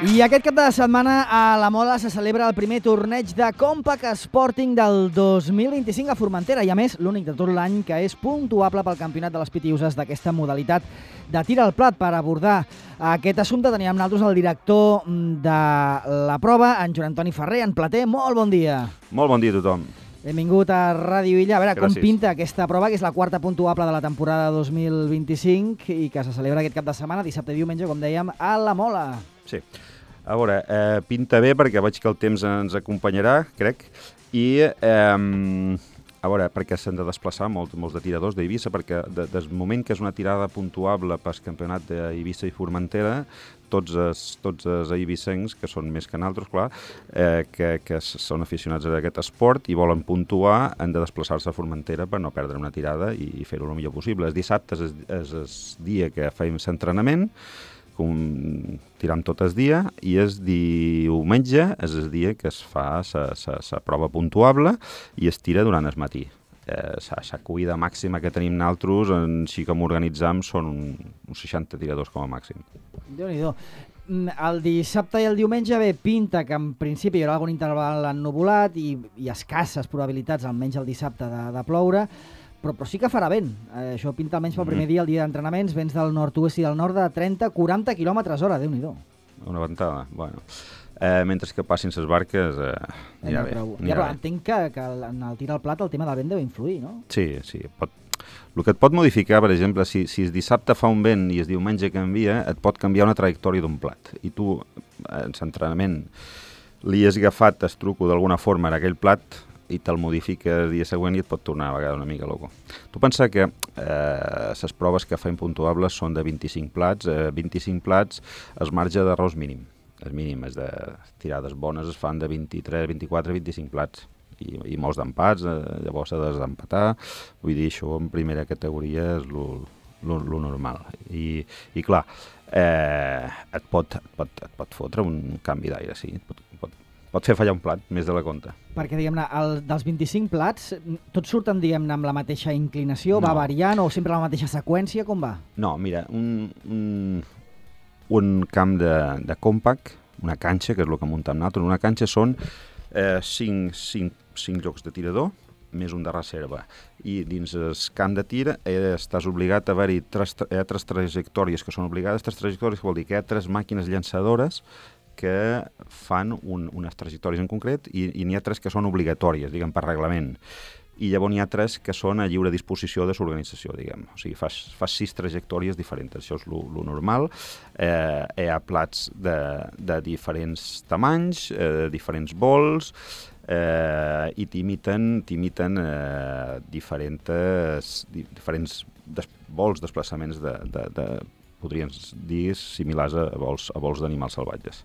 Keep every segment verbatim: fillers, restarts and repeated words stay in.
I aquest cap de setmana a la Mola se celebra el primer torneig de Compact Sporting del dos mil vint-i-cinc a Formentera i, a més, l'únic de tot l'any que és puntuable pel campionat de les pitiuses d'aquesta modalitat de tir al plat. Per abordar aquest assumpte teníem nosaltres el director de la prova, en Joan Antoni Ferrer, en Plater. Molt bon dia. Molt bon dia a tothom. Benvingut a Ràdio Illa. A veure, Gràcies. com pinta aquesta prova, que és la quarta puntuable de la temporada dos mil vint-i-cinc i que se celebra aquest cap de setmana, dissabte i diumenge, com dèiem, a la Mola. Sí. A veure, eh, pinta bé perquè veig que el temps ens acompanyarà, crec, i eh, a veure, perquè s'han de desplaçar molt, molts de tiradors d'Eivissa, perquè de, des del moment que és una tirada puntuable pel campionat d'Eivissa i Formentera, tots els, tots els eivissencs, que són més que nosaltres, clar, eh, que, que són aficionats a aquest esport i volen puntuar, han de desplaçar-se a Formentera per no perdre una tirada i, i fer-ho el millor possible. Els dissabtes és, és el dia que fem l'entrenament, com tirant tot el dia, i el diumenge és el dia que es fa la prova puntuable i es tira durant el matí. Eh, la cuida màxima que tenim nosaltres, així com organitzam, són un, uns seixanta tiradors com a màxim. Déu-n'hi-do. El dissabte i el diumenge bé pinta que en principi hi haurà algun interval ennuvolat i, i escasses probabilitats, almenys el dissabte, de, de ploure, però, però sí que farà vent. Eh, això pinta almenys pel primer dia, el dia d'entrenaments, vents del nord-oest i del nord de trenta a quaranta quilòmetres hora, Déu-n'hi-do. Una ventada, bueno. Eh, mentre que passin les barques, eh, anirà no, bé. Però, Anirà ja, però bé. entenc que, que en el tir al plat el tema del vent deu influir, no? Sí, sí. Pot... El que et pot modificar, per exemple, si, si el dissabte fa un vent i el diumenge canvia, et pot canviar una trajectòria d'un plat. I tu, en l'entrenament, li has agafat el truco d'alguna forma en aquell plat i te'l modifica el dia següent i et pot tornar a vegades una mica loco. Tu pensa que les eh, proves que fem puntuables són de vint-i-cinc plats, eh, vint-i-cinc plats el marge d'errors mínim. El mínim és de tirades bones es fan de vint-i-tres, vint-i-quatre, vint-i-cinc plats i, i molts d'empats, eh, llavors s'ha desempatar. Vull dir, això en primera categoria és el normal. I, i clar, eh, et, pot, et, pot, et pot fotre un canvi d'aire, sí, et pot, pot, pot fer fallar un plat més de la compte. Perquè, diguem-ne, el, dels vint-i-cinc plats, tots surten, diguem-ne, amb la mateixa inclinació, No. va variant o sempre la mateixa seqüència, com va? No, mira, un, un, un camp de, de compact, una canxa, que és el que muntem nosaltres, una canxa són eh, cinc, cinc, cinc llocs de tirador, més un de reserva. I dins el camp de tir eh, estàs obligat a haver-hi tres, eh, tres trajectòries que són obligades. Tres trajectòries que vol dir que hi ha tres màquines llançadores que fan un, unes trajectòries en concret i, i n'hi ha tres que són obligatòries, diguem, per reglament. I llavors n'hi ha tres que són a lliure disposició de l'organització, diguem. O sigui, fas, fas sis trajectòries diferents. Això és lo, lo normal. Eh, hi ha plats de, de diferents tamanys, eh, diferents vols, eh, i t'imiten, t'imiten eh, diferents, diferents des, vols, desplaçaments de, de, de podríem dir similars a vols, a vols d'animals salvatges.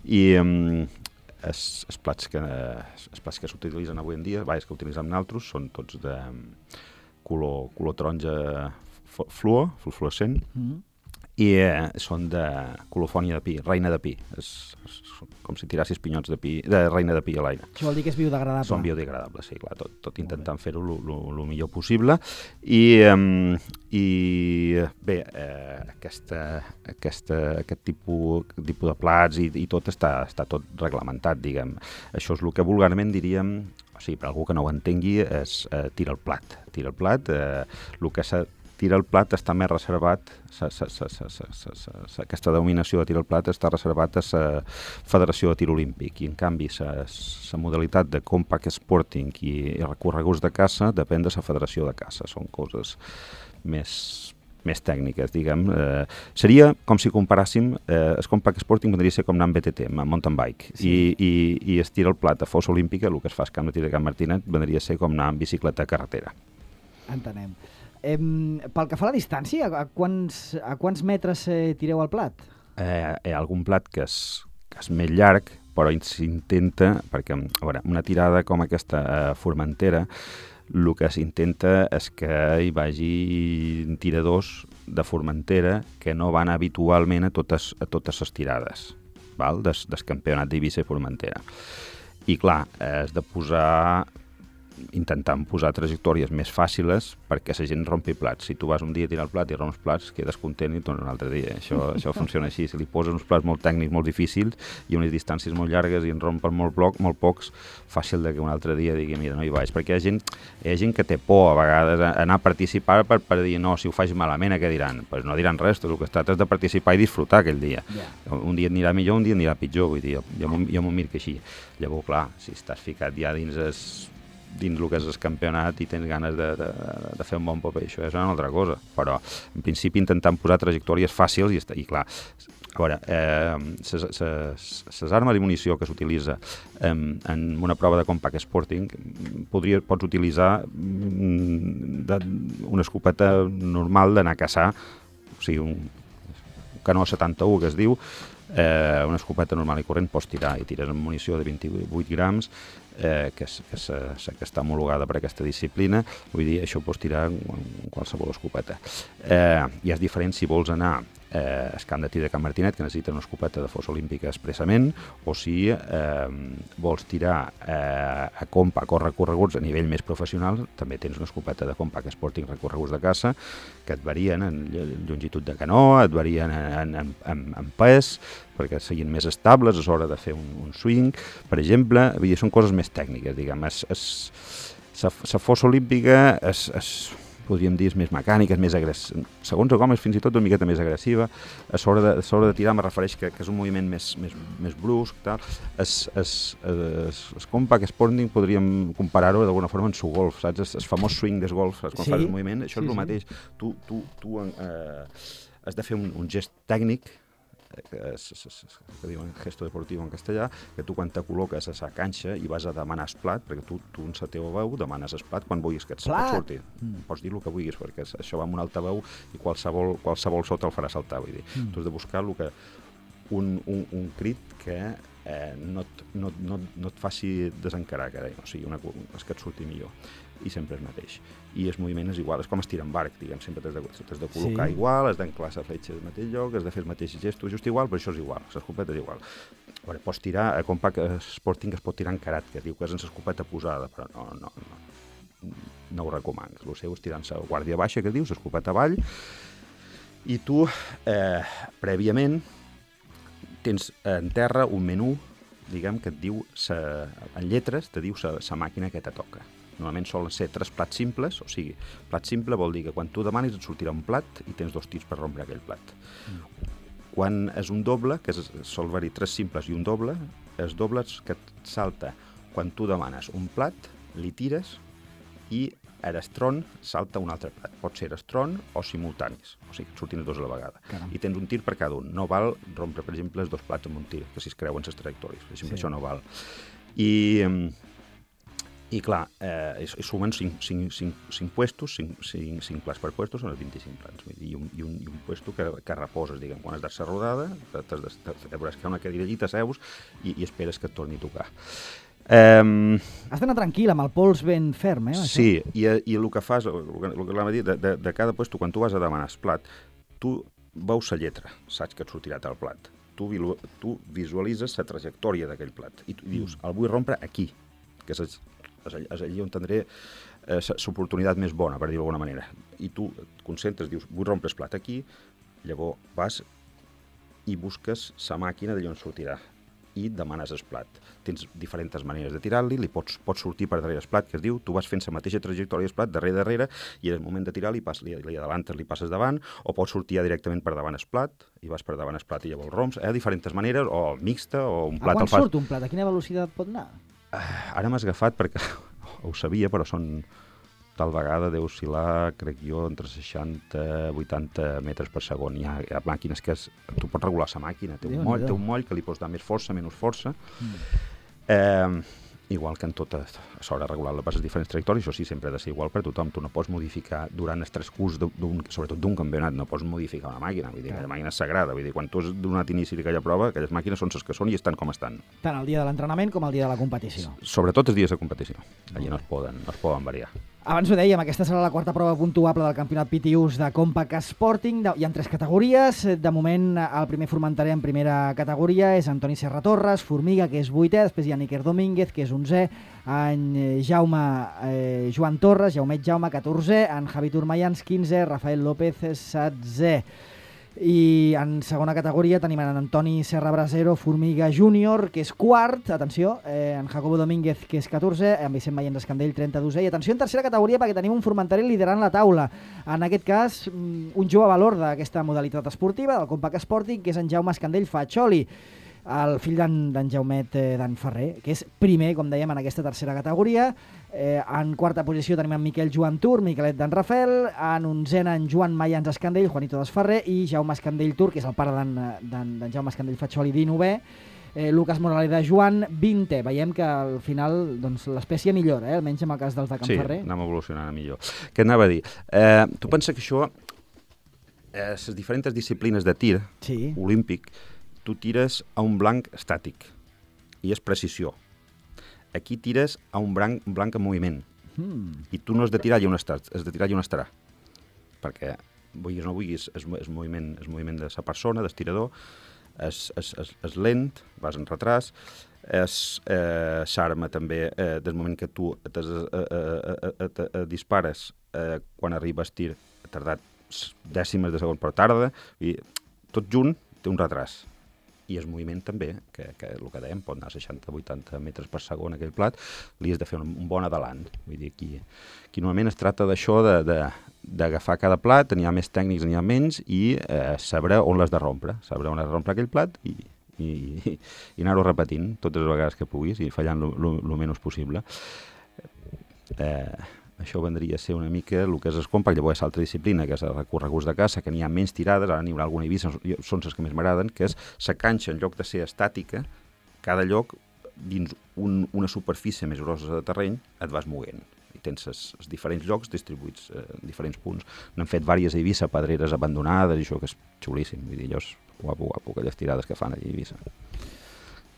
I um, els, els plats que, els plats que s'utilitzen avui en dia, vaja, que utilitzem nosaltres, són tots de color, color taronja fluo, fluorescent, mm-hmm. i eh, són de colofònia de pi, reina de pi. És, és com si tirassis pinyots de pi, de reina de pi a l'aire. Això vol dir que és biodegradable. Són biodegradables, sí, clar, tot, tot intentant fer-ho el millor possible. I, um, i bé, eh, aquesta, aquesta, aquest tipus, tipus de plats i, i tot està, està tot reglamentat, diguem. Això és el que vulgarment diríem, o sigui, per algú que no ho entengui, és eh, tira el plat. Tira el plat, eh, el que s'ha tira el plat està més reservat, sa, sa, sa, sa, sa, sa, sa, aquesta denominació de tira el plat està reservat a la Federació de Tir Olímpic, i en canvi la modalitat de compact sporting i, i recorreguts de caça depèn de la Federació de Caça, són coses més, més tècniques, diguem. Eh, seria com si comparàssim, eh, el compact sporting podria ser com anar amb B T T, amb mountain bike, sí. i, i, i es tira el plat a fossa olímpica, el que es fa al camp de tir de Can Martinet, vendria a ser com anar amb bicicleta a carretera. Entenem. Eh, pel que fa a la distància, a quants, a quants metres eh, tireu al plat? Eh, hi ha algun plat que és, que és més llarg, però s'intenta, perquè a veure, una tirada com aquesta a Formentera, el que s'intenta és que hi vagi tiradors de Formentera que no van habitualment a totes, a totes les tirades, val? Des, del campionat d'Eivissa i Formentera. I clar, has de posar intentant posar trajectòries més fàcils perquè la gent rompi plats. Si tu vas un dia a tirar el plat i romps plats, quedes content i tornes un altre dia. Això, això funciona així. Si li poses uns plats molt tècnics, molt difícils i unes distàncies molt llargues i en rompen molt, bloc, molt pocs, fàcil de que un altre dia digui, mira, no hi vaig. Perquè hi ha gent, hi ha gent que té por a vegades a anar a participar per, per dir, no, si ho faig malament, què diran? Pues no diran res, tot el que es tracta és de participar i disfrutar aquell dia. Yeah. Un dia anirà millor, un dia anirà pitjor, vull dir, jo, jo m'ho mir que així. Llavors, clar, si estàs ficat ja dins es, dins el que és el campionat i tens ganes de, de, de fer un bon paper, això és una altra cosa. Però, en principi, intentant posar trajectòries fàcils i, i clar, a veure, eh, les armes i munició que s'utilitza eh, en una prova de compact sporting podria, pots utilitzar de, una escopeta normal d'anar a caçar, o sigui, un canó setanta-u que es diu, eh, una escopeta normal i corrent pots tirar i tires amb munició de vint-i-vuit grams eh, que, és, que, és, que està homologada per aquesta disciplina, vull dir, això ho pots tirar en qualsevol escopeta. Eh, I és diferent si vols anar eh, al camp de tir de Can Martinet, que necessita una escopeta de fossa olímpica expressament, o si eh, vols tirar eh, a compact o recorreguts a nivell més professional, també tens una escopeta de compact sporting recorreguts de caça, que et varien en longitud de canó, et varien en, en, en, en pes, perquè siguin més estables a l'hora de fer un, un swing, per exemple, vull dir, són coses més tècniques, diguem. La fossa olímpica és, és, podríem dir, és més mecànica, és més agressiva, segons com és fins i tot una miqueta més agressiva, a l'hora de, de tirar me refereix que, que és un moviment més, més, més brusc, tal. Es, es, es, es compact sporting podríem comparar-ho d'alguna forma en su golf, saps? El, el famós swing del golf, saps? Quan sí, fas el moviment, això sí, és el sí. mateix. Tu, tu, tu eh, has de fer un, un gest tècnic, que, és, és, és, que diuen gesto deportiu en castellà, que tu quan te col·loques a la canxa i vas a demanar el plat, perquè tu, tu en la teva veu demanes el plat quan vulguis que et surti. Mm. Pots dir el que vulguis, perquè això va amb un altaveu i qualsevol, qualsevol so te'l farà saltar. Vull dir. Mm. Tu has de buscar el que, un, un, un crit que eh, no, et, no, no, no et faci desencarar, que deia, o sigui, una, que et surti millor. I sempre el mateix. I el moviment és igual, és com estirar en barc, diguem, sempre t'has de, t'has de col·locar sí. igual, has d'enclar la fletxa al mateix lloc, has de fer els mateixos gestos, just igual, però això és igual, l'escopeta és igual. Veure, pots tirar, a compact sporting es pot tirar encarat, que es diu que és en l'escopeta posada, però no, no, no, no ho recomano. El seu és tirant la guàrdia baixa, que es diu, l'escopeta avall, i tu, eh, prèviament, tens en terra un menú, diguem, que et diu, sa, en lletres, te diu la màquina que te toca. Normalment solen ser tres plats simples, o sigui, plat simple vol dir que quan tu demanis et sortirà un plat i tens dos tirs per rompre aquell plat. Mm. Quan és un doble, que és, sol haver-hi tres simples i un doble, els dobles que et salta quan tu demanes un plat, li tires i a l'estron salta un altre plat. Pot ser estron o simultanis, o sigui, et surtin els dos a la vegada. Caram. I tens un tir per cada un. No val rompre, per exemple, els dos plats amb un tir, que si es creuen les trajectòries. Per exemple, sí. Això no val. I... I clar, eh, sumen cinc, cinc, cinc, cinc puestos, cinc, cinc, cinc plats per puestos, són els vint-i-cinc plats, i un, i un, i un puesto que, que reposes, diguem, quan has de ser rodada, t'has de, de, veuràs que hi ha una cadira allí, t'asseus i, i esperes que et torni a tocar. Um, Has d'anar tranquil, amb el pols ben ferm, eh? Sí, i, i el que fas, el que, el que l'hem dit, de, de, de cada puesto, quan tu vas a demanar el plat, tu veus la lletra, saps que et sortirà el plat, tu, tu visualitzes la trajectòria d'aquell plat, i tu dius, el vull rompre aquí, que és és allí on tindré eh, l'oportunitat més bona, per dir-ho d'alguna manera. I tu et concentres, dius, vull rompre el plat aquí, llavors vas i busques la màquina d'allà on sortirà i demanes el plat. Tens diferents maneres de tirar-li, li pots, pots sortir per darrere el plat, que es diu, tu vas fent la mateixa trajectòria del plat, darrere, darrere, i en el moment de tirar li, pas, li, li adelantes, li passes davant, o pots sortir ja directament per davant el plat, i vas per davant el plat i llavors romps. Hi ha diferents maneres, o mixta, o un plat... A quan surt un plat? A quina velocitat pot anar? Ara m'has agafat perquè ho sabia, però són tal vegada deu oscil·lar, crec jo, entre seixanta i vuitanta metres per segon. Hi ha, hi ha màquines que es, tu pots regular la màquina, té un, moll, té un moll que li pots dar més força, menys força. Mm. Eh, igual que en tot, a l'hora de regular les diferents trajectòries, això sí, sempre ha de ser igual per tothom. Tu no pots modificar durant el transcurs, sobretot d'un campionat, no pots modificar una màquina. Vull dir, aquella màquina és sagrada. Vull dir, quan tu has donat inici a aquella prova, aquelles màquines són les que són i estan com estan. Tant el dia de l'entrenament com el dia de la competició. Sobretot els dies de competició. Allí no es poden, no es poden variar. Abans ho dèiem, aquesta serà la quarta prova puntuable del campionat P T Us de Compact Sporting. Hi ha tres categories. De moment, el primer formenterer en primera categoria és Antoni Serra Torres, Formiga, que és vuitè, després hi ha Níker Domínguez, que és onzè, en Jaume eh, Joan Torres, Jaumet Jaume, catorzè, en Javi Turmayans, quinzè, Rafael López, setzè. I en segona categoria tenim en Antoni Serra Brasero, Formiga Júnior, que és quart, atenció, eh, en Jacobo Domínguez, que és catorzè, en Vicent Mayens Escandell, trenta-dosè, i atenció en tercera categoria perquè tenim un formenterer liderant la taula. En aquest cas, un jove valor d'aquesta modalitat esportiva, del Compact Sporting, que és en Jaume Escandell Faccioli, el fill d'en Jaumet eh, d'en Ferrer, que és primer, com dèiem, en aquesta tercera categoria. Eh, en quarta posició tenim en Miquel Joan Tur, Miquelet d'en Rafel, en onzena en Joan Mayans Escandell, Juanito Desferrer, i Jaume Escandell Tur, que és el pare d'en Jaume Escandell Faccioli, dinovè. Eh, Lucas Moraleda Joan, vintè. Veiem que al final doncs, l'espècie millora, eh? Almenys en el cas dels de Can sí, Ferrer. Sí, anem evolucionant a millor. Què anava a dir? Eh, tu pensa que això, eh, les diferents disciplines de tir sí. olímpic, tu tires a un blanc estàtic i és precisió. Aquí tires a un blanc, un blanc en moviment mm. i tu no has de tirar i on estarà, has de tirar i on estarà. Perquè, vulguis o no vulguis, és, és, moviment, és moviment de la persona, del tirador, és, és, és, és lent, vas en retras, és eh, s'arma també eh, del moment que tu et, eh, eh, eh, eh, eh, dispares eh, quan arribes tir, ha tardat dècimes de segon per tarda, i tot junt té un retras. I el moviment també, que, que el que dèiem, pot anar a seixanta a vuitanta metres per segon aquell plat, li has de fer un, un bon adalant. Vull dir, aquí, aquí normalment es tracta d'això, d'agafar cada plat, n'hi ha més tècnics, n'hi ha menys, i eh, saber on l'has de rompre, saber on has de rompre aquell plat i, i, i, i anar-ho repetint totes les vegades que puguis i fallant el menys possible. Eh... Això vendria a ser una mica el que és el compact. Llavors, l'altra disciplina, que és el recorreguts de caça, que n'hi ha menys tirades, ara n'hi haurà alguna Eivissa, són les que més m'agraden, que és la canxa, en lloc de ser estàtica, cada lloc, dins un, una superfície més grossa de terreny, et vas movent. I tens els, els diferents llocs distribuïts eh, en diferents punts. N'han fet diverses a Eivissa, pedreres abandonades, i això que és xulíssim. Vull dir, allò és guapo, guapo, aquelles tirades que fan a Eivissa.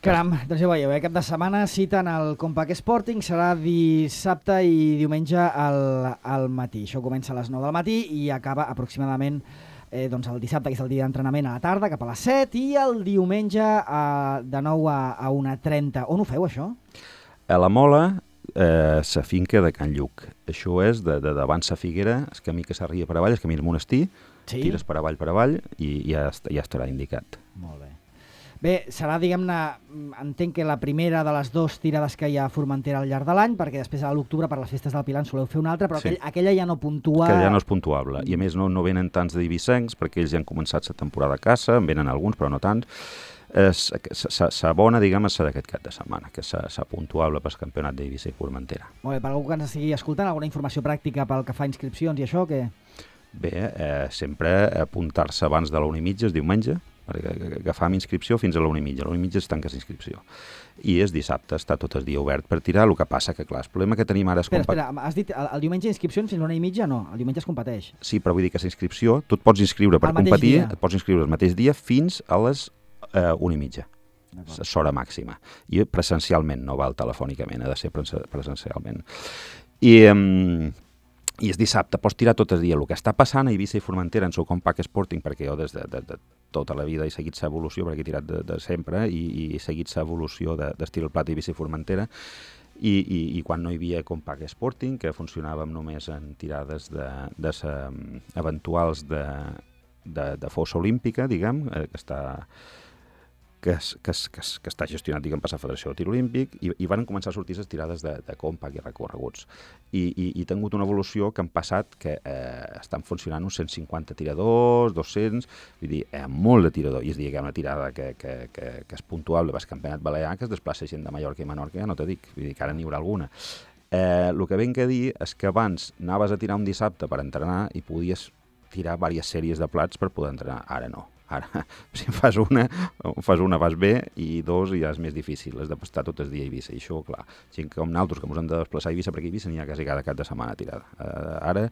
Caram, doncs ja veieu, eh? Cap de setmana cita en el Compact Sporting, serà dissabte i diumenge al, al matí. Això comença a les nou del matí i acaba aproximadament eh, doncs el dissabte, que és el dia d'entrenament, a la tarda, cap a les set, i el diumenge a, de nou a, a una trenta. On ho feu, això? A la Mola, eh, la finca de Can Lluc. Això és de, de davant la Figuera, el camí que s'arriba per avall, el camí del monestir, sí? Tires per avall, per avall, i ja, ja estarà indicat. Molt bé. Bé, serà, diguem-ne, entenc que la primera de les dues tirades que hi ha a Formentera al llarg de l'any, perquè després a l'octubre per les festes del Pilar en soleu fer una altra, però sí. aquell, aquella ja no puntua... Aquella ja no és puntuable, i a més no, no venen tants d'eivissencs, perquè ells ja han començat la temporada de caça, en venen alguns, però no tants. La bona, diguem, és d'aquest cap de setmana, que és la puntuable pel campionat d'Eivissa i Formentera. Molt bé, per algú que ens estigui escoltant, alguna informació pràctica pel que fa a inscripcions i això, què? Bé, eh, sempre apuntar-se abans de l'una i mitja, el diumenge, perquè agafam inscripció fins a l'una i mitja. A l'una i mitja es tanca inscripció. I és dissabte, està tot el dia obert per tirar, el que passa que, clar, el problema que tenim ara és... Espera, espera, has dit el, el diumenge inscripcions fins a l'una i mitja? No, el diumenge es competeix. Sí, però vull dir que la inscripció, tu et pots inscriure per competir, et pots inscriure el mateix dia fins a les eh, una i mitja. És hora màxima. I presencialment, no val telefònicament, ha de ser presencialment. I... Eh, I és dissabte, pots tirar tot el dia. El que està passant a Eivissa i Formentera en el Compact Sporting, perquè jo des de, de, de tota la vida he seguit l'evolució, perquè he tirat de, de sempre, i, i he seguit l'evolució d'estil plat a Eivissa i Formentera, i, i, i quan no hi havia Compact Sporting, que funcionàvem només en tirades de, de sa, eventuals de, de, de fossa olímpica, diguem, eh, que està... Que, es, que, es, que, es, que està gestionat, diguem, per la Federació de Tir Olímpic, i, i van començar a sortir les tirades de, de compact i recorreguts. I, i, i he tingut una evolució que han passat que eh, estan funcionant uns cent cinquanta tiradors, dos-cents, vull dir, eh, molt de tirador, i és dir, que hi ha una tirada que, que, que, que és puntuable pel campionat balear, que es desplaça gent de Mallorca i Menorca, ja no te dic, vull dir que ara n'hi haurà alguna. Eh, el que vinc a dir és que abans anaves a tirar un dissabte per entrenar i podies tirar diverses sèries de plats per poder entrenar, ara no. Ara, si fas una, fas una vas bé, i dos ja és més difícil, has de estar tot el dia a Eivissa. I això, clar, gent com nosaltres que ens hem de desplaçar a Eivissa, perquè a Eivissa n'hi ha quasi cada cap de setmana tirada. Uh, ara,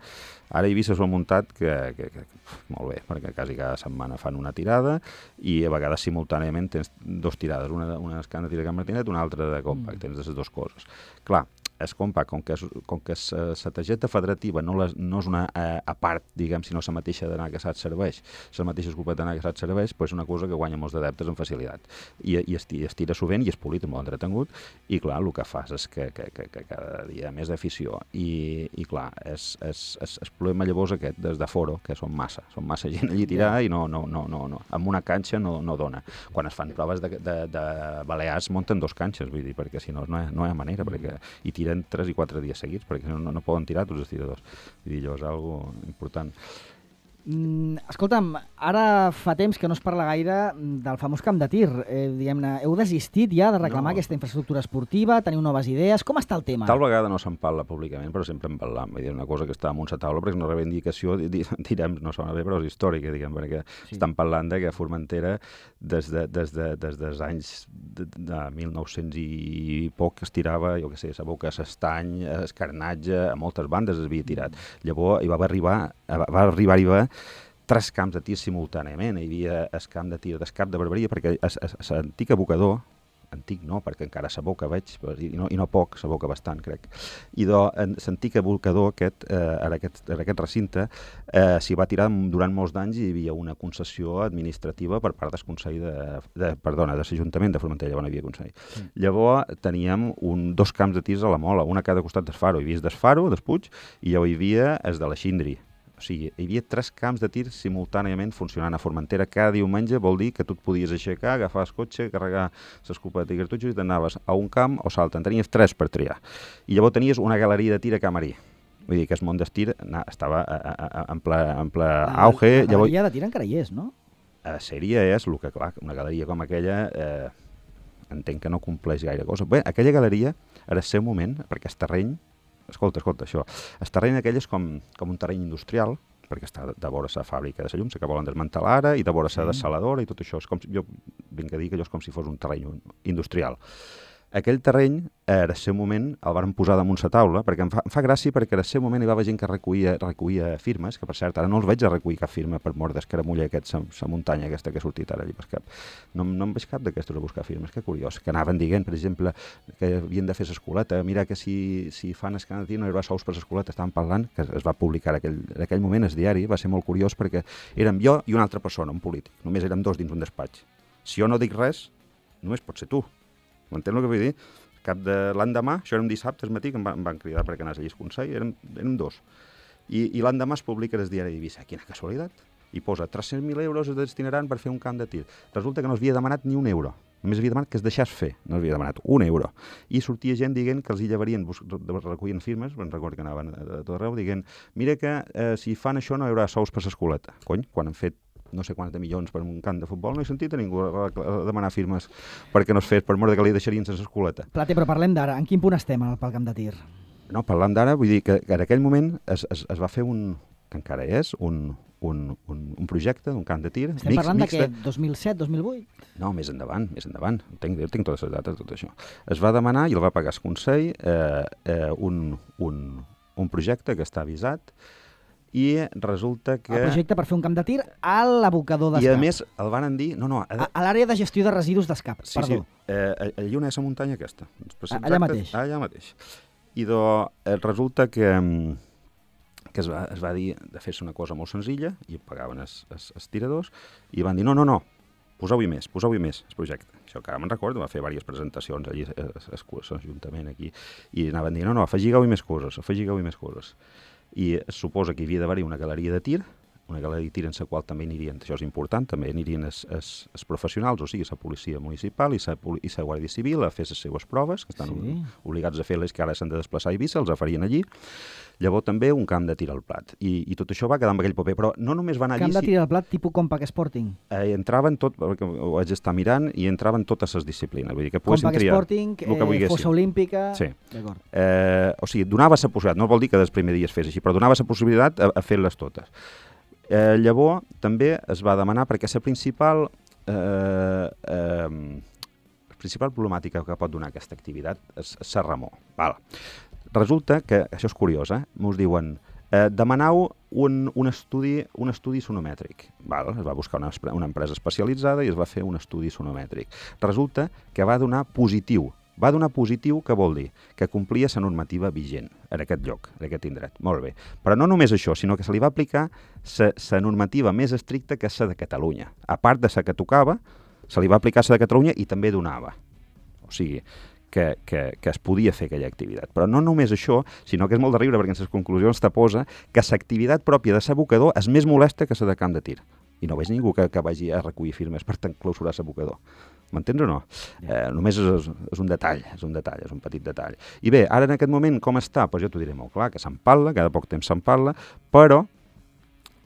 ara a Eivissa s'ho ha muntat que, que, que, molt bé, perquè quasi cada setmana fan una tirada, i a vegades simultàniament tens dos tirades, una, una que han de tirar Can Martinet, una altra de compact, mm. tens les dues coses. Clar, és compact, com que, és, com que la targeta federativa no, les, no és una eh, a part, diguem, sinó la mateixa d'anar que se't serveix, la mateixa escopeta d'anar que se't serveix, doncs és una cosa que guanya molts adeptes amb facilitat. I, i es, es tira sovint i és polit, molt entretengut, i clar, el que fas és que, que, que, que cada dia hi ha més d'afició. I, i clar, és, és, és, és problema llavors aquest des de foro, que són massa, són massa gent allí tirar i no, no, no, no, no. Amb una canxa no, no dona. Quan es fan proves de, de, de balears munten dos canxes, vull dir, perquè si no, no hi ha, no hi ha manera, perquè i tiren tres i quatre dies seguits, perquè no, no, no poden tirar tots els tiradors. Vull dir, allò és algo important. Mm, escolta'm, ara fa temps que no es parla gaire del famós camp de tir. Eh, diguem-ne, heu desistit ja de reclamar no. aquesta infraestructura esportiva? Teniu noves idees? Com està el tema? Tal vegada no se'n parla públicament, però sempre en parlam. Vull dir, una cosa que està amunt a taula, perquè és una reivindicació, direm, no sona bé, però és històrica, diguem, perquè sí. estan parlant de que Formentera, des, de, des, de, des dels anys de, de mil nou-cents i poc, es tirava, jo què sé, a Boca, a Estany, a Escarnatge, a moltes bandes es havia tirat. Llavors hi va arribar, va arribar, arribar tres camps de tir simultàniament. Hi havia el camp de tir d'Escap de Barberia, perquè l'antic abocador, antic no, perquè encara s'aboca, veig, i no, i no poc, s'aboca bastant, crec. I l'antic abocador aquest, eh, en, aquest, en aquest recinte, eh, s'hi va tirar durant molts d'anys i hi havia una concessió administrativa per part del Consell de, de perdona, de l'Ajuntament de Formentera, llavors no hi havia Consell. Sí. Llavors teníem un, dos camps de tirs a la Mola, una a cada costat del Faro. Hi havia el del Faro, del Puig, i llavors hi havia el de la Xindri. O sigui, hi havia tres camps de tir simultàniament funcionant a Formentera. Cada diumenge vol dir que tu et podies aixecar, agafar el cotxe, carregar l'escopeta i cartutxos i t'anaves a un camp o salta. En tenies tres per triar. I llavors tenies una galeria de tir a Camarí. Vull dir que el món del tir estava a, a, a, en ple, en ple auge. La galeria de tir encara hi és, no? A sèrie és el que, clar, una galeria com aquella eh, entenc que no compleix gaire cosa. Bé, aquella galeria, en el seu moment, perquè el terreny, Escolta, escolta, això. El terreny aquell és com, com un terreny industrial, perquè està de vora la fàbrica de la llum, que volen desmantelar ara, i de vora la dessaladora, i tot això. És com, jo vinc a dir que allò és com si fos un terreny industrial. Aquell terreny, en el seu moment, el van posar damunt la taula, perquè em fa, em fa gràcia perquè en el seu moment hi va haver gent que recollia, recollia firmes, que per cert, ara no els veig a recollir cap firma per mort d'escaramulla aquest, la muntanya aquesta que ha sortit ara allà per cap. No, no em veig cap d'aquestos a buscar firmes, que curiós, que anaven dient, per exemple, que havien de fer l'escoleta, mira que si, si fan escanatir no hi haurà sous per l'escoleta, estaven parlant, que es va publicar en aquell, en aquell moment el diari, va ser molt curiós perquè érem jo i una altra persona, un polític, només érem dos dins un despatx. Si jo no dic res, només pot ser tu. M'entens el que vull dir? Cap de l'endemà, això era un dissabte al matí, que em van, em van cridar perquè anés allà al Consell, érem, érem dos. I, i l'endemà es publica el diari d'Eivissa. Quina casualitat. I posa tres-cents mil euros es destinaran per fer un camp de tir. Resulta que no s'havia demanat ni un euro. Només havia demanat que es deixés fer. No s'havia demanat un euro. I sortia gent dient que els hi llevarien, recollint firmes, me'n recordo que anaven a tot arreu, dient mira que eh, si fan això no hi haurà sous per l'escoleta. Cony, quan han fet no sé quants de milions per un camp de futbol, no he sentit a ningú a demanar firmes perquè no es fes, per mort que li deixarien sense escoleta. Plate, però parlem d'ara. En quin punt estem pel camp de tir? No, parlant d'ara, vull dir que, que en aquell moment es, es, es va fer un, que encara és, un, un, un, un projecte d'un camp de tir. Estem mix, parlant de què? dos mil set, dos mil vuit? No, més endavant, més endavant. Tinc, tinc totes les dates, tot això. Es va demanar, i el va pagar el Consell, eh, eh, un, un, un projecte que està avisat, i resulta que... El projecte per fer un camp de tir a l'abocador d'Escap. I a més el van dir... No, no, a a l'àrea de gestió de residus d'Escap, sí, perdó. Sí, eh, allà on és la muntanya aquesta. Allà exactes, mateix. Allà mateix. I do, eh, resulta que, que es, va, es va dir de fer-se una cosa molt senzilla, i pagaven els, els, els tiradors, i van dir no, no, no, poseu-hi més, poseu-hi més, el projecte. Això que ara me'n recordo, va fer diverses presentacions allí a l'Ajuntament aquí, i anaven dient no, no, afegigueu-hi més coses, afegigueu-hi més coses. I es suposa que hi havia d'haver-hi una galeria de tir, una galeria de tir en la qual també anirien, això és important, també anirien els, els, els professionals, o sigui, la policia municipal i la, i la Guàrdia Civil a fer les seues proves, que estan sí. obligats a fer-les, que ara s'han de desplaçar a Eivissa, els farien allí. Llavors també un camp de tir al plat. I, i tot això va quedar amb aquell paper, però no només van allí... Camp de tir al plat tipus Compact Sporting? Eh, entraven tot, perquè ho vaig estar mirant, i entraven totes les disciplines. Vull dir que Compact triar Sporting, eh, fossa olímpica... Sí. D'acord. Eh, o sigui, donava la possibilitat, no vol dir que des primer dia es fes així, però donava la possibilitat a, a fer-les totes. Eh, llavors també es va demanar, perquè la principal... Eh, eh, la principal problemàtica que pot donar aquesta activitat és la remor. Val. Resulta que, això és curiós, eh? M'us diuen, eh, demanau un, un, estudi, un estudi sonomètric. Val? Es va buscar una, una empresa especialitzada i es va fer un estudi sonomètric. Resulta que va donar positiu. Va donar positiu, que vol dir? Que complia la normativa vigent en aquest lloc, en aquest indret. Molt bé. Però no només això, sinó que se li va aplicar la normativa més estricta que la de Catalunya. A part de la que tocava, se li va aplicar la de Catalunya i també donava. O sigui, que, que, que es podia fer aquella activitat. Però no només això, sinó que és molt de riure perquè en les conclusions te posa que l'activitat pròpia de l'abocador és més molesta que la de camp de tir. I no veig ningú que, que vagi a recollir firmes per clausurar l'abocador. M'entens o no? Eh, només és, és un detall, és un detall, és un petit detall. I bé, ara en aquest moment com està? Pues jo t'ho diré molt clar, que se'n parla, cada poc temps se'n parla, però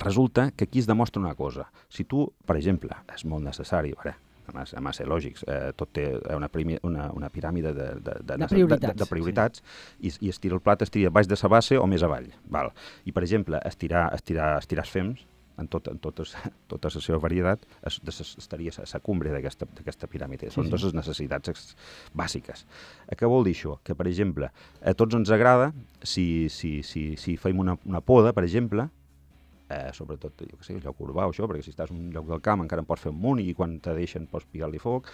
resulta que aquí es demostra una cosa. Si tu, per exemple, és molt necessari, veure, a ser lògics, eh, tot té una, una, una piràmide de, de, de, de prioritats, de, de prioritats sí. i, i estirar el plat estirar baix de la base o més avall. Val. I, per exemple, estirar, estirar, estirar els fems, en, tot, en totes, tota la seva varietat, es, des, estaria a la cumbre d'aquesta piràmide. Són sí, sí. dues necessitats bàsiques. Eh, què vol dir això? Que, per exemple, a tots ens agrada, si, si, si, si fem una, una poda, per exemple, eh, sobretot, jo què sé, el lloc urbà o això, perquè si estàs en un lloc del camp encara en pots fer un munt i quan te deixen pots picar-li foc,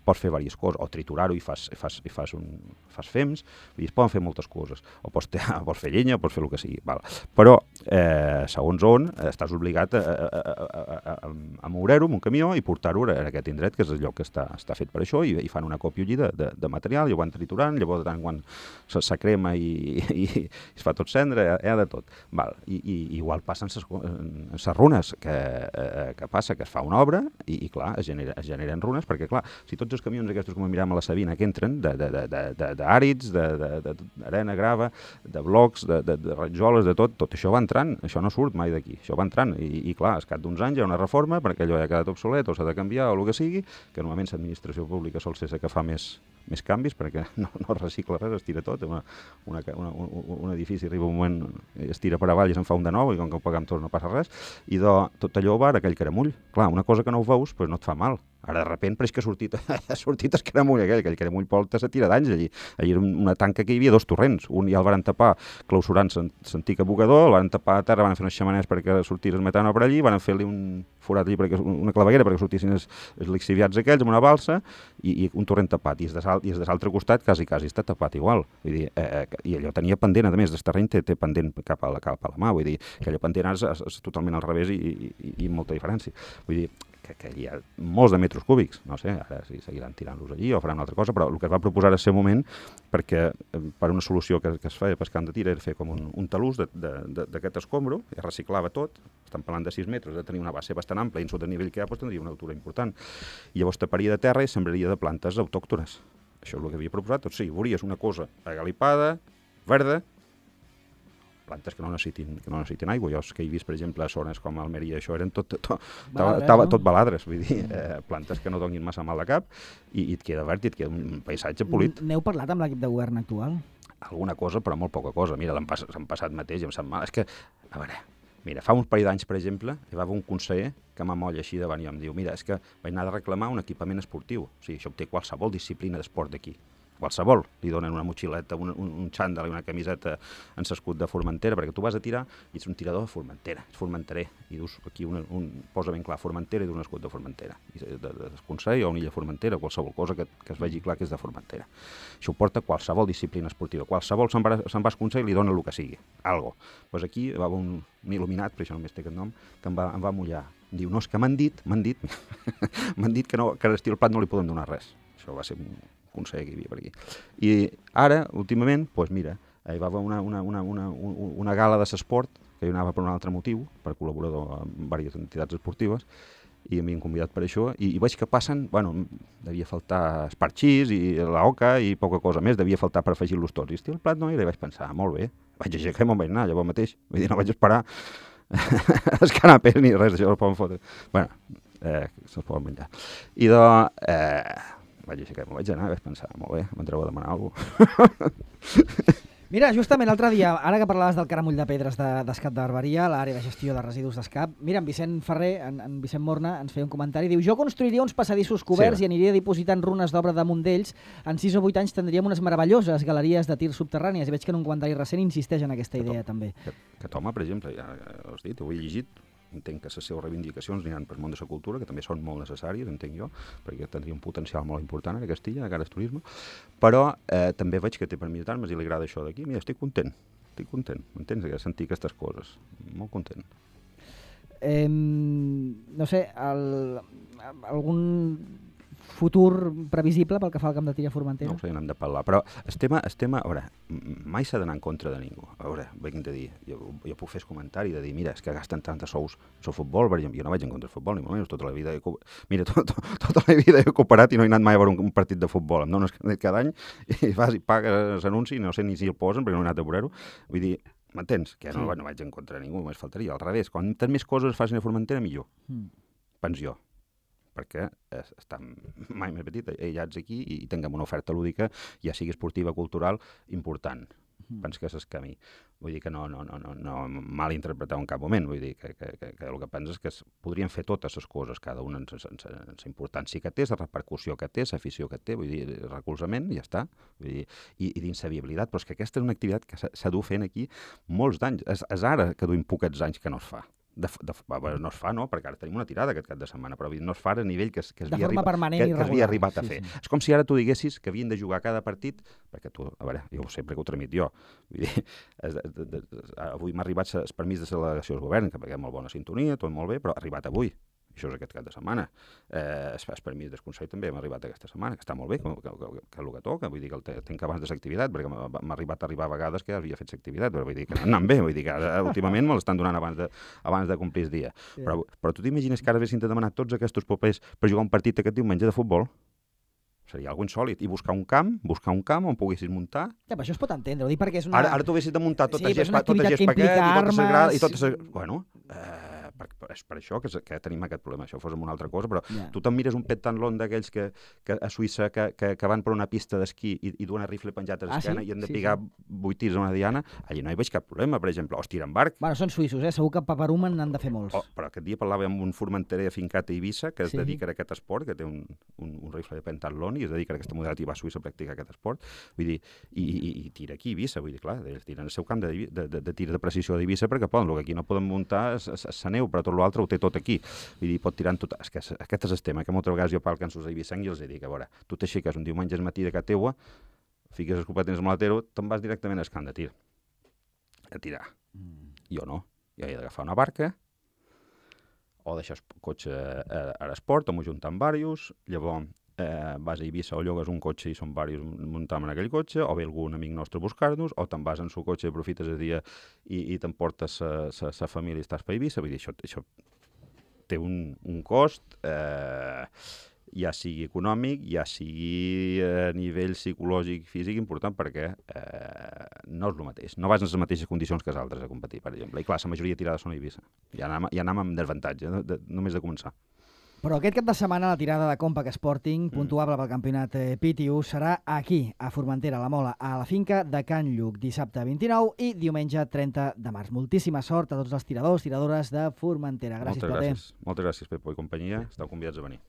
pots fer diverses coses, o triturar-ho i fas, fas, i fas, un, fas fems, vull dir, es poden fer moltes coses, o pots, pots fer llenya, o pots fer el que sigui, val. Però, eh, segons on, estàs obligat a, a, a, a, a, a moure-ho amb un camió i portar-ho a aquest indret, que és el lloc que està, està fet per això, i, i fan una còpia allí de, de, de material, i ho van triturant, llavors de tant quan se, se crema i, i, i es fa tot cendre, hi ha de tot. Val. I, i igual passen les runes, que, eh, que passa, que es fa una obra, i, i clar, es, genera, es generen runes, perquè clar, si tots els camions aquests com mirem a la Sabina que entren, d'àrids, d'arena, grava, de blocs, de, de, de rajoles, de tot, tot això va entrant, això no surt mai d'aquí, això va entrant, i, i clar, al cap d'uns anys hi ha una reforma perquè allò ja ha quedat obsolet o s'ha de canviar o el que sigui, que normalment l'administració pública sol ser la que fa més, més canvis perquè no, no recicla res, es tira tot, una, una, una, un, un edifici arriba un moment, es tira per avall i se'n fa un de nou i com que ho pagam tots no passa res, i de, tot allò va a aquell caramull. Clar, una cosa que no ho veus pues no et fa mal. Ara, de repent, pareix que ha sortit, ha sortit el caramull aquell, aquell caramull porta se tira d'anys allí. Allí era una tanca que hi havia dos torrents. Un ja el van tapar clausurant l'antic abocador, el van tapar a terra, van fer unes xamaners perquè sortís el metano per allí, van fer-li un forat allí, perquè, una claveguera perquè sortissin els, els lixiviats aquells amb una balsa i, i un torrent tapat. I des de l'altre costat quasi, quasi està tapat igual. Vull dir, eh, I allò tenia pendent, a més, del terreny té, té pendent cap a, la, cap a la mà. Vull dir, que allò pendent és, és, és totalment al revés i, i, i molta diferència. Vull dir, que, que hi ha molts de metres cúbics, no sé, ara si seguiran tirant-los allí o faran una altra cosa, però el que es va proposar en aquest moment, perquè per una solució que, que es feia pescant de tir era fer com un, un talús d'aquest escombro, i reciclava tot, estan parlant de sis metres, de tenir una base bastant ampla i en sota el nivell que hi ha doncs, tindria una altura important. I llavors taparia de terra i sembraria de plantes autòctones. Això és el que havia proposat, doncs sí, veuries una cosa agalipada, verda, plantes que no necessitin, que no necessitin aigua. Jo que he vist, per exemple, a zones com Almeria, això eren tot, tot, baladres, tot, no? tot baladres, vull dir, eh, plantes que no donin massa mal de cap i, i et queda verd i et queda un paisatge polit. N'heu parlat amb l'equip de govern actual? Alguna cosa, però molt poca cosa. Mira, l'han pas, passat mateix, em sap mal. És que, a veure, mira, fa uns parell d'anys, per exemple, hi va haver un conseller que m'amolla així davant i em diu, mira, és que vaig anar a reclamar un equipament esportiu. O sigui, això obté qualsevol disciplina d'esport d'aquí. Qualsevol, li donen una motxileta, un, un, un xandall i una camiseta en l'escut de Formentera, perquè tu vas a tirar i ets un tirador de Formentera, ets formenterer, i dus aquí una, un, posa ben clar Formentera i d'un escut de Formentera, i de, de, de Consell o una illa Formentera, qualsevol cosa que, que es vegi clar que és de Formentera. Això ho porta qualsevol disciplina esportiva, qualsevol se'n va, se'n va al Consell i li dona el que sigui, algo. Pues aquí va haver un, un il·luminat, per això només té aquest nom, que em va, em va mullar. Diu, no, és que m'han dit, m'han dit, m'han dit que, no, que a l'estil plat no li podem donar res. Això va ser un conseller que hi havia per aquí. I ara, últimament, doncs mira, hi va haver una, una, una, una, una gala de l'esport, que hi anava per un altre motiu, per col·laborador amb diverses entitats esportives, i m'havien convidat per això, i, i veig que passen, bueno, devia faltar esparxís i l'oca i poca cosa més, devia faltar per afegir-los tots. I estic al plat no era, i vaig pensar, molt bé, vaig aixecar i me'n vaig anar, llavors mateix, vull dir, no vaig esperar els canapés ni res, això el poden fotre. Bueno, eh, se'ls poden menjar. I doncs, eh, vaig aixecar, m'ho vaig anar i vaig pensar, molt bé, m'entreu a demanar alguna cosa. Mira, justament l'altre dia, ara que parlaves del caramull de pedres d'Escap de Barberia, l'àrea de gestió de residus d'Escap, mira, en Vicent Ferrer, en, en Vicent Morna, ens feia un comentari, diu, jo construiria uns passadissos coberts sí, i aniria dipositant runes d'obra damunt d'ells, en sis o vuit anys tindríem unes meravelloses galeries de tir subterrànies, i veig que en un comentari recent insisteix en aquesta idea, que també. Que, que Toma, per exemple, ja, ja ho has dit, ho he llegit, entenc que les seves reivindicacions aniran per món de la cultura, que també són molt necessàries, entenc jo, perquè tindria un potencial molt important a Castilla, de cara al turisme, però eh, també veig que té per militar-me i li agrada això d'aquí. Mira, estic content, estic content, m'entens, de sentir aquestes coses, molt content. Eh, no sé, el, algun futur previsible pel que fa al camp de tir a Formentera? No ho sé, n'hem de parlar, però el tema, el tema, a veure, mai s'ha d'anar en contra de ningú. A veure, vinc de dir, jo, jo puc fer el comentari de dir, mira, és que gasten tants sous el futbol, per exemple, jo no vaig en contra del futbol, ni molt menys, tota la vida he, mira, to, to, tota la vida he cooperat i no he anat mai a veure un, un partit de futbol, em dones cada any i vas i pagues l'anunci i no sé ni si el posen perquè no he anat a veure-ho, vull dir, m'entens? Que no, no vaig en contra de ningú, només faltaria, al revés, quan més coses es facin a Formentera, millor, mm. pens jo, perquè estem mai més petits, aïllats aquí, i tinguem una oferta lúdica, ja sigui esportiva, cultural, important. Mm. Penso que és el camí. Vull dir que no, no, no, no, no mal interpretar en cap moment, vull dir que, que, que, que el que penso és que es, podrien fer totes les coses, cada una en la importància que té, la repercussió que té, l'afició que té, vull dir, el recolzament, i ja està, vull dir, i, i dins la viabilitat, però és que aquesta és una activitat que s'ha dut fent aquí molts d'anys, és, és ara que duim poquets anys que no es fa. De, de, no es fa, no, perquè ara tenim una tirada aquest cap de setmana, però no es fa a nivell que, que, es havia, arriba, que, que es havia arribat a fer. Sí, sí. És com si ara tu diguessis que havien de jugar cada partit, perquè tu, a veure, jo sempre que ho tramit jo, vull dir, es, de, de, de, avui m'ha arribat el permís de la delegació del govern, que perquè hi ha molt bona sintonia, tot molt bé, però ha arribat avui. Això és aquest cap de setmana. Eh, el permís del Consell també m'ha arribat aquesta setmana, que està molt bé, que, que, que, que el que toca, vull dir que el tinc abans de l'activitat, perquè m'ha arribat a arribar a vegades que havia fet l'activitat, però vull dir que no anant bé, vull dir que ara, últimament me l'estan donant abans de, abans de complir el dia. Sí. Però, però tu t'imagines que ara haguessin de demanar tots aquests papers per jugar un partit aquest diumenge de futbol? Seria algo insòlit. I buscar un camp, buscar un camp on poguessis muntar. Ja, però això es pot entendre, ho dic perquè és una... Ara, ara tu haguessis de muntar tot sí, el gespa, tot el gespaquet i totes les grades... I totes les... Bueno, eh, per, és per això que, que tenim aquest problema. Això fos amb una altra cosa, però yeah. tu te'n mires un pentanlon d'aquells que, que a Suïssa que, que, que van per una pista d'esquí i, i duen rifle penjat a l'esquena ah, sí? i han de sí, picar sí. vuit tirs a una diana, allà no hi veig cap problema, per exemple, o es tiren barc. Bueno, són suïssos, eh? Segur que a Paparumen n'han de fer molts. Oh, però aquest dia parlava amb un formenterer afincat a Eivissa que es sí. dedica a aquest esport, que té un, un, un rifle de pentanlon i es dedica a aquesta modalitat i va a Suïssa a practicar aquest esport. Vull dir, i, i, i tira aquí a Eivissa, vull dir, clar, ells tiren el seu camp de, de, de, de tir de precisió d'Eivissa perquè poden, el que aquí no poden muntar és la neu, però tot l'altre ho té tot aquí. Vull dir, pot tirar en tot... És que aquest és el tema, que moltes vegades jo parlo amb els eivissencs i els dic, a veure, tu t'aixeques un diumenge al matí de casa teua, fiques els competents al malatero, te'n vas directament al camp de tir. A tirar. Mm. Jo no. Jo he d'agafar una barca, o deixar el cotxe a, a l'esport, o m'ho juntar amb diversos, llavors eh, vas a Eivissa o llogues un cotxe i són diversos muntam en aquell cotxe, o ve algun amic nostre a buscar-nos, o te'n vas en el cotxe, aprofites el dia i, i t'emportes la família i estàs per Eivissa. Vull dir, això, això té un, un cost, eh, ja sigui econòmic, ja sigui a nivell psicològic, físic, important, perquè eh, no és el mateix. No vas en les mateixes condicions que els altres a competir, per exemple. I clar, la majoria de tirades són a Eivissa. Ja anem, ja anem amb desavantatge, de, de, només de començar. Però aquest cap de setmana la tirada de Compact Sporting, mm. puntuable pel campionat eh, P T U, serà aquí, a Formentera, a la Mola, a la finca de Can Lluc, dissabte vint-i-nou i diumenge trenta de març. Moltíssima sort a tots els tiradors, tiradores de Formentera. Gràcies, Moltes gràcies. Moltes gràcies, Pepo i companyia. Esteu convidats a venir.